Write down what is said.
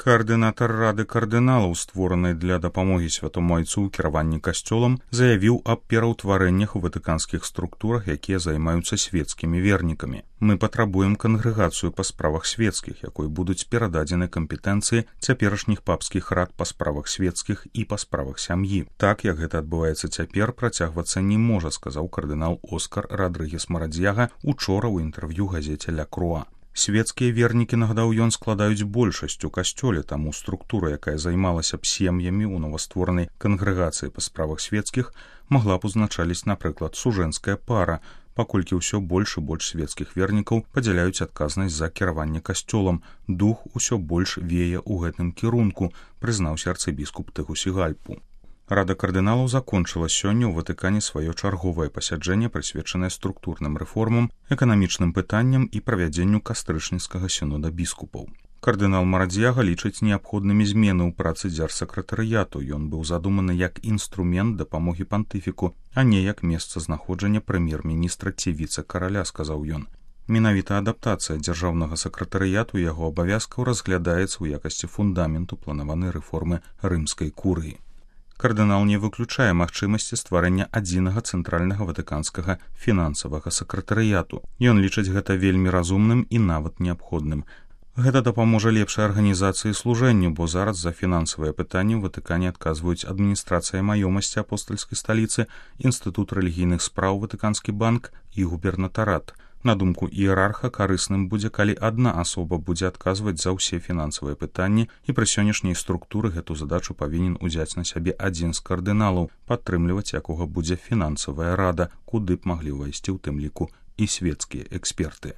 Каардынатар рады кардыналаў, створанай для дапамогі святому айцу ў кіраванні касцёлам, заявіў аб пераўтварэннях у ватыканскіх структурах, якія займаюцца свецкімі вернікамі. Мы патрабуем кангрэгацыю па справах свецкіх, якой будуць перададзены кампетэнцыі цяперашніх папскіх рад па справах свецкіх і па справах сям'і. Так, як гэта адбываецца цяпер, працягвацца не можа, сказаў кардынал Оскар Радрыгес Марадзьяга учора ў інтэрв'ю газеце «Ля Круа». Свецкія вернікі, нагадаў ён, складаюць большасць у касцёле, таму структура, якая займалася б сем'ямі ў новастворанай кангрэгацыі па справах свецкіх, магла б узначаліць, напрыклад, сужэнская пара, паколькі ўсё больш і больш свецкіх вернікаў падзяляюць адказнасць за кіраванне касцёлам. Дух усё больш вее ў гэтым кірунку, прызнаўся арцыбіскуп Тегусігальпу. Рада кардыналаў закончыла сёння ў Ватыкане сваё чарговае пасяджэнне, прысвечанае структурным рэформам, эканамічным пытанням і правядзенню кастрычніцкага сінода біскупаў. Кардынал Марадзьяга лічыць неабходнымі змены ў працы дзярсакратарыяту. Ён быў задуманы як інструмент дапамогі пантыфіку, а не як месцазнаходжання прэм'ер-міністра ці віцэ-караля, сказаў ён. Менавіта адаптацыя дзяржаўнага сакратарыяту яго абавязкаў разглядаецца ў якасці фундаменту планаванай рэформы рымскай курыі. Кардынал не выключае магчымасці стварэння адзінага цэнтральнага ватыканскага фінансавага сакратарыяту. Ён лічыць гэта вельмі разумным і нават неабходным. Гэта дапаможа лепшай арганізацыі служэнню, бо зараз за фінансавыя пытанні ў Ватыкане адказваюць адміністрацыя маёмасці апостальскай сталіцы, інстытут рэлігійных спраў, Ватыканскі банк і губернатарат. На думку іерарха, карысным будзе, калі адна асоба будзе адказваць за ўсе фінансавыя пытанні, і пры сённяшняй структуры гэту задачу павінен узяць на сябе адзін з кардыналаў, падтрымліваць якога будзе фінансавая рада, куды б маглі ўвайсці ў тым ліку і свецкія эксперты.